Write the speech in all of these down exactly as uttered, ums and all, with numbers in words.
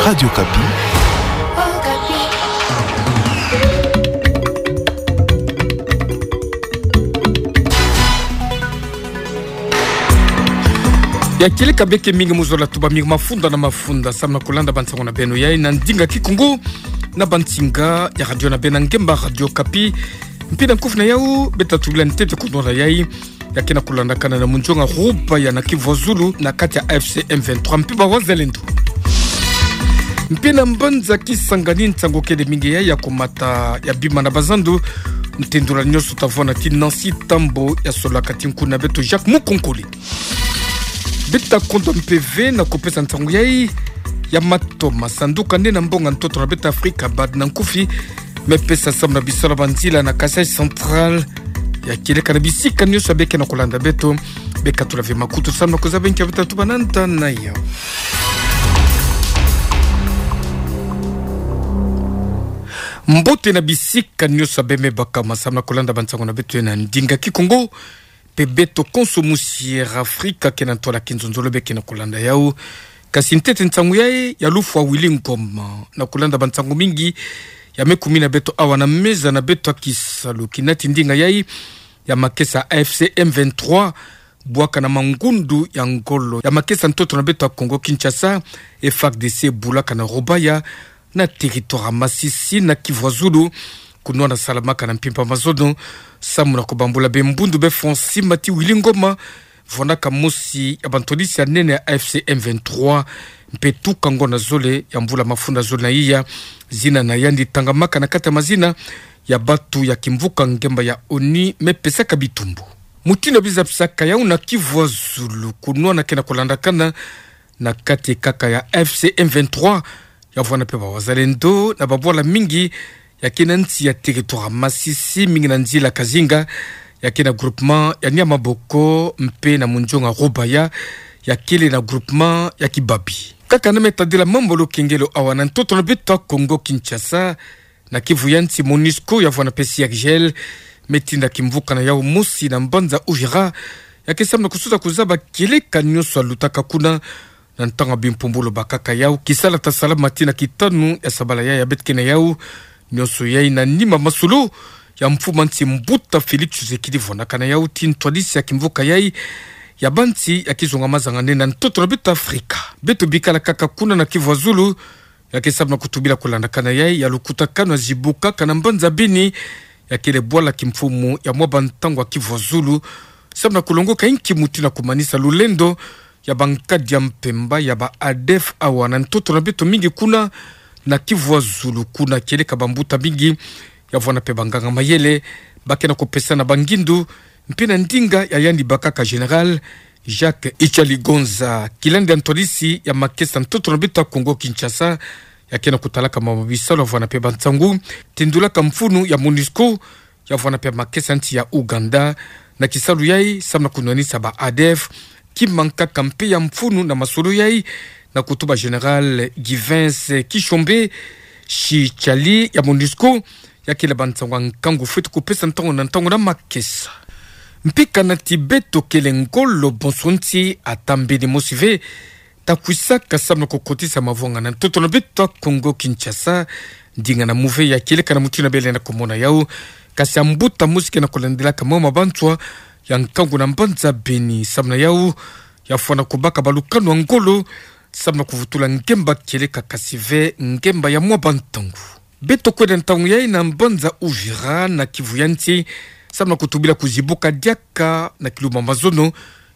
Radio Okapi. Ya kieleka beke mingi mu zola tuba mingi mafunda na mafunda samu na kulanda bansango na beno yai na ndinga Kikongo na bansinga ya radio na beno ngemba Radio Okapi. Mpi na nkufi na yau, beta tubila ntete kunora yai ya kena kulandakana na munzonga Rubaya na Kivu ya Zulu na kati ya A F C M vingt-trois mpe bawazalendo. Mpe na mbanza Kisangani nsangu kele mingi ya, ya kumata ya bima na bazandu, ntendula nionso tavona ti Nancy Tambo ya sola kati nkuna beto Jacques Mukonkole. Beta konda mpe ve na kupesa nsangu yai ya matoma sanduka nde na mbonga ntoto na beto Afrika, bad na nkufi, me pesa samu na bisola banzila na Kasaï Central, ya kieleka na bisika nionso ya beke na kulanda beto, beka tula ve makutu samu na kuzaba nkia beta tuba na nda na yau. Mbote na bisika nionso ya beme baka masamu na kulanda bansango na beto na ndinga Kikongo, mpe beto konso musi Air Afrika kena ntwala kinzonzolo beke na kulanda yau. Kasi ntete nsangu yai ya lufwa Willy Ngoma na kulanda bansangu mingi ya me kumina beto awa na meza na beto ya kisalu. Kinati ndinga yai ya makesa A F C M vingt-trois bwaka na mangundu ya ngolo ya makesa ntoto na beto ya Kongo Kinshasa, F A R D C bulaka na Rubaya, na territoire ya Masisi na Kivu ya Zulu, kunwana salamaka na mpimpa mazono samu na kubambula be mbundu be Francis Mati Willy Ngoma, vonaka mosi ya bantwadisi ya nene ya A F C M vingt-trois, mpe tuka ngonda zole ya mvula mafunda zole na iya, zina na yandi tangamaka na kati ya mazina ya batu ya kimvuka ngemba ya ONU me pesaka bitumbu. Mutindu ya bizapisaka yau na Kivu ya Zulu, kunwana kena kulandakana na kati kaka ya A F C M vingt-trois, ya vwana mpe bawazalendo na babwala mingi ya kena nsi ya territoire ya Masisi, mingi na nzila Kazinga, ya kena groupement ya Niamaboko, mpe na munzonga Rubaya, ya kele na groupement ya Kibabi. Kaka na me tadila mambu lukengelo awa na ntoto na beto ya Kongo Kinshasa, na Kivu ya nsi, MONUSCO ya vwana mpe C I R G L me tinda kimvuka na yau mosi na mbanza Uvira, ya ke samu na kusuza kuzaba kieleka nionso ya lutaka kuna na ntangu ya bimpumbulu bakaka yau, kisala ta salama tii na kitanu ya sabala yai ya beto ke na yau, nionso yai na nima masolo ya mfumu ya nsi mbuta Félix Tshisekedi, vonaka na yau ti ntwadisi ya kimvuka yai ya bansi ya kizunga mazangane na ntoto na beto Afrika. Beto bikala kaka kuna na Kivu ya Zulu, ya ke samu na kutubila kulandakana yai ya lukutakanu ya zibukaka na mbanza Beni, ya kele bwala kimfumu ya mwa bantangu ya Kivu ya Zulu, samu na kulongoka inki mutindu ya kumanisa lulendo ya bankadi ya mpemba ya ba ADF awa na ntoto na beto mingi kuna na Kivu ya Zulu, kuna kieleka bambuta mingi, ya vwana mpe banganga mayele, ba kena kupesana bangindu, mpe na ndinga ya yandi bakaka Général Jacques Ichaligonza, kilandi ya ntwadisi ya makesa ntoto na beto ya Kongo Kinshasa, ya kena kutalaka mama bisalu ya vwana mpe bansangu, tindulaka mfunu ya MONUSCO, ya vwana mpe makesa nsi ya Ouganda, na kisalu yai samu na kunwanisa ba ADF, kimankaka mpe ya mfunu na masolo yai, na kutuba Général Givens Kishombe, si chali ya MONUSCO, ya kele bansangu ya nkangu fweti kupesa ntangu na ntangu na makesa. Mpi kana ti beto kele ngolo bonso nsi ata mbeni mosi ve, ta kwisaka samu na kukotisa mavwanga na ntoto na beto ya Kongo Kinshasa, ndinga na muve ya kieleka na mutindu ya bele na kumona yau, kasi ya mbuta mosi kena kulandilaka mama banswa ya nkangu na mbanza Beni, samu na yau, ya fwana kubaka balukanu ya ngolo, samu na kuvutula ngemba kieleka kasi ve ngemba ya mwa bantangu. Beto kwenda ntangu yai na mbanza Uvira na Kivu ya nsi, samu na kutubila kuzibuka diaka na kilumbu ya mazono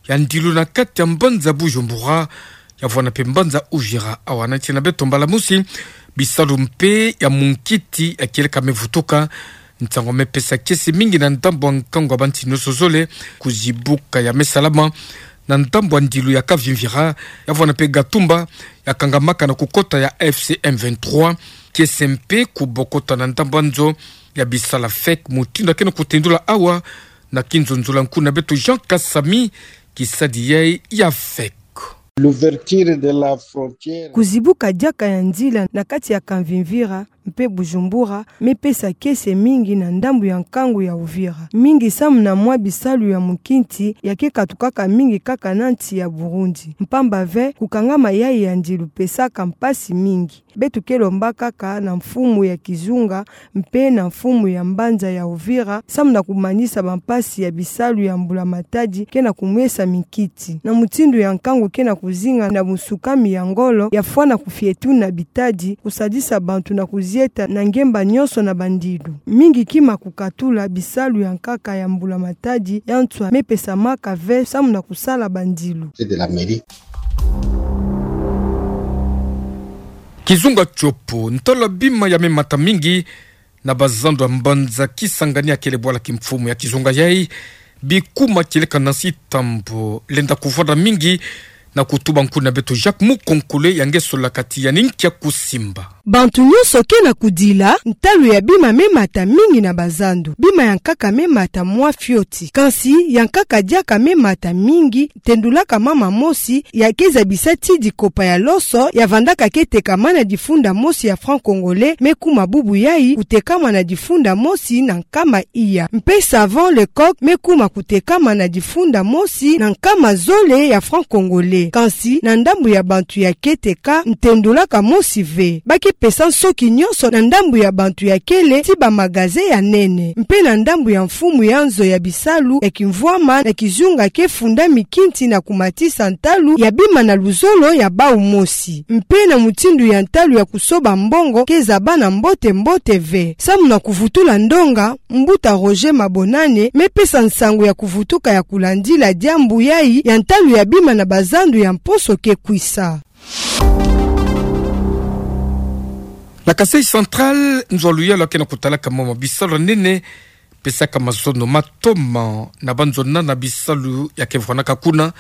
ya ndilu na kati ya mbanza Bujumbura, ya vwana mpe mbanza Uvira. Awa nati na beto mbala mosi, bisalu mpe ya munkiti ya kieleka me vutuka, nsangu me pesa kiese mingi na ndambu ya nkangu ya bansi nionso zole, kuzibuka ya me salama na ndambu ya ndilu ya Kavimvira, ya vwana mpe Gatumba, ya kangamaka na kukota ya A F C M vingt-trois, kiese mpe kubokota na ndambu ya nzo ya bisala fake, mutindu ya kena kutendula awa na kinzonzolo ya nkuna beto Jean Kasami, kisadi yai ya fake. L'ouverture de la frontière. Kuzibuka diaka ya nzila na kati ya Kavimvira, mpe Bujumbura, me pesa kiese mingi na ndambu ya nkangu ya Uvira. Mingi samu na mwa bisalu ya mukinti ya ke katukaka mingi kaka na nsi ya Burundi. Mpamba ve, kukangama yayi ya ndilu pesaka mpasi mingi. Beto ke lomba kaka na mfumu ya kizunga mpe na mfumu ya mbanza ya Uvira, samu na kumanisa bampasi ya bisalu ya mbula matadi ke na kumwesa minkiti. Na mutindu ya nkangu ke na kuzinga na busukami ya ngolo, ya fwana kufietu na bitadi, kusadisa bantu na kuzieta na ngemba nyonso na bandilu. Mingi kima kukatula bisalu ya nkaka ya mbula matadi ya nswa me pesamaka ve samu na kusala bandilu. C'est de la mairie. Kizunga Tshopo, ntalo ya bima ya me mata mingi na bazandu ya mbanza Kisangani ya kele bwala kimfumu ya kizunga yayi, bikuma kieleka na nsi Tambo, lenda kuvwanda mingi na kutuba nkuna beto Jacques Mukonkole ya nge sola kati ya ninkia kusimba. Bantu nyonso ke na kudila, ntalo ya bima me mata mingi na bazandu. Bima ya nkaka me mata mwa fioti. Kansi, ya nkaka diaka me mata mingi, tendulaka mama mosi, ya ke zabisa ti dikopa ya loso, ya vandaka ke tekama na difunda mosi ya franc congolais, me kuma bubu yayi, kutekama na difunda mosi na nkama iya. Mpe savon Lecoq me kuma kutekama na difunda mosi na nkama zole ya franc congolais. Kansi na ndambu ya bantu ya ke teka, ntendolaka mosi ve. Ba ke pesa nsoki nyonso na ndambu ya bantu ya kele ti bamagasin ya nene. Mpe na ndambu ya mfumu ya nzo ya bisalu ya kimvwama na kizunga ke funda mikinti na kumatisa ntalu ya bima na luzolo ya bau mosi. Mpe na mutindu ya ntalu ya kusoba mbongo ke zabana mbote mbote ve. Samu na kuvutula ndonga, Mbuta Roger Mabonane me pesa nsangu ya kuvutuka ya kulandila diambu yayi ya ntalu ya bima na bazandu ya mposo ke kwisa. Na Kasaï Central, nzo ya luyalu ya ke na kutalaka mama bisalu ya nene, pesaka mazono ma toma na banzo nana bisalu ya ke vwanaka kuna,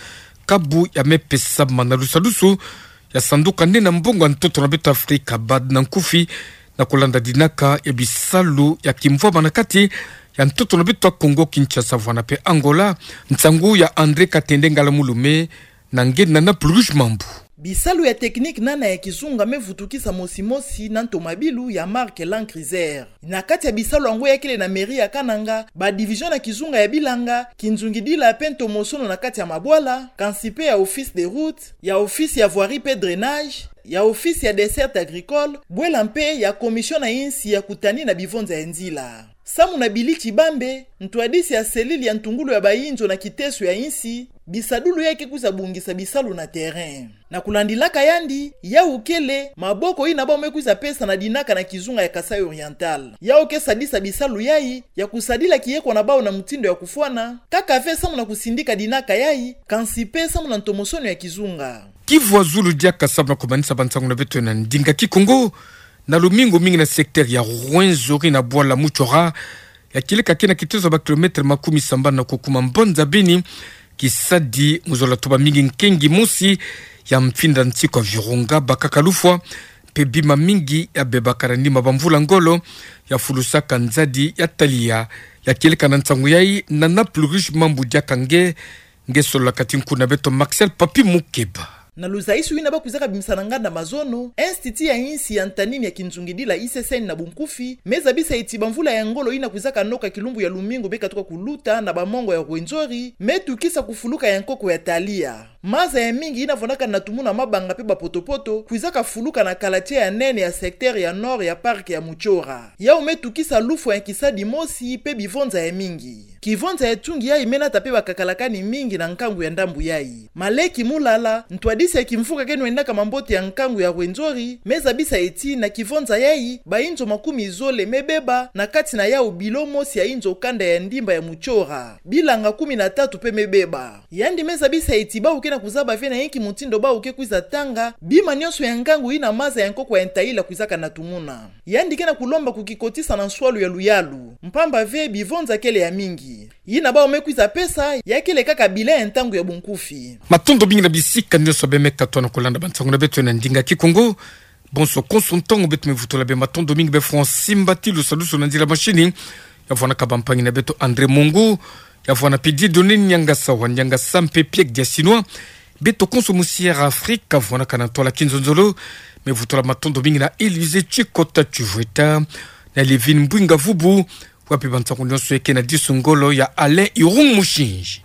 kabu ya me pesama na lusadusu ya sanduka nene ya mbongo ya ntoto na beto Afrika, bad na nkufi, na kulanda dinaka ya bisalu ya kimvwama na kati ya ntoto na beto ya Kongo Kinshasa vwana mpe Angola, nsangu ya André Katende Ngala Mulume, na nge nana Pluge Mambu. Bisalu ya technique nana ya kizunga me vutukisa mosi mosi na ntomabilu ya marque Land Cruiser. Na kati ya bisalu yango ya kele na mairie ya Kananga, ba division na kizunga ya bilanga, kinzungidila mpe ntomosono na kati ya mabwala, kansi mpe ya office des routes, ya office ya voirie mpe drainage, ya office ya desserte agricole, bwela mpe ya commission na insi ya kutani na bivonza ya nzila. Samu na Billy Tshibambe, ntwadisi ya cellule ya ntungulu ya bayinzo na kiteso ya insi, bisadulu ya ke kwiza bongisa bisalu na terrain. Na kulandilaka yandi, yau kele maboko yina bau me kwiza pesa na dinaka na kizunga ya Kasaï Oriental. Yau ke sadisa bisalu yayi ya kusadila kiyeko na bau na mutindu ya kufwana, kaka ve samu na kusindika dinaka yayi, kansi mpe samu na ntomosono ya kizunga. Kivwa zulu diaka samu na kumanisa bansangu na beto na ndinga Kikongo, na lumingu mingi na secteur ya Rwenzori na bwala Mutsora, ya kieleka ke na kitezo ya ba kilomètre makumi sambanu na kukuma mbanza Beni, kisadi mu zola tuba mingi nkengi mosi ya mfinda nsiku ya Virunga, bakaka lufwa, mpe bima mingi ya bebaka na nima bamvula ngolo, ya fulusaka nzadi ya Talia, ya kieleka na nsangu yayi, nana Pluge Mambu diaka nge, nge solola kati nku na beto Marcel Papi Mukeba. Na luzayisu yina ba kwizaka bimisa na nganda mazono, Institut ya insi ya ntanini ya kinzungidila I C C N na bunkufi, me zabisa eti bamvula ya ngolo yina kwizaka noka kilumbu ya lumingu be katuka kuluta na bamongo ya Rwenzori, me tukisa kufuluka ya nkoko ya Talia. Maza ya mingi yina vwanaka na tumuna mabanga mpe bapotopoto, kwizaka fuluka na kalatie ya nene ya secteur ya nord ya parc ya Mutsora. Yau me tukisa lufwa ya kisadi mosi mpe bivonza ya mingi. Kivonza ya tungi yayi me nata mpe bakakalakani mingi na nkangu ya ndambu yayi. Maleki Mulala, ntwadisi ya kimvuka ke nwendaka mambote ya nkangu ya Rwenzori, me zabisa eti na kivonza yayi, bayinzo makumi zole me beba, na kati na yau bilo mosi ya yinzo kanda ya ndimba ya Mutsora. Bilanga kumi na tatu mpe me beba. Yandi me zabisa eti bau ke na kuzaba ve na yinki mutindu bau ke kwiza tanga bima nyonso ya nkangu yina maza ya nkoko ya Ntaila kwizaka na tumuna. Yandi ke na kulomba kukikotisa na nswalu ya luyalu, mpamba ve bivonza kele ya mingi. Yina bau me kwiza pesa, ya kele kaka bilan ya ntangu ya bunkufi. Matondo mingi na bisika nyonso be me katuka na kulanda bansangu na beto na ndinga Kikongo. Bonso konso ntangu beto me vutula be matondo mingi be Francis Mbati, lusadusu na nzila machine, ya vwanaka bampangi na beto André Mongu, ya vwana mpe Dieudonné Niangasa wa Niangasa mpe Piek Diasinois, beto konso mu Sierra Afrika, vwanaka na ntwala kinzonzolo, Vutu la matondo mingi na Élysée Tchikota Tchuvweta, na Livine Mbwinga Vubu, wapi bansango nyonso eke na disu ngolo ya Alain Irung Mushinji.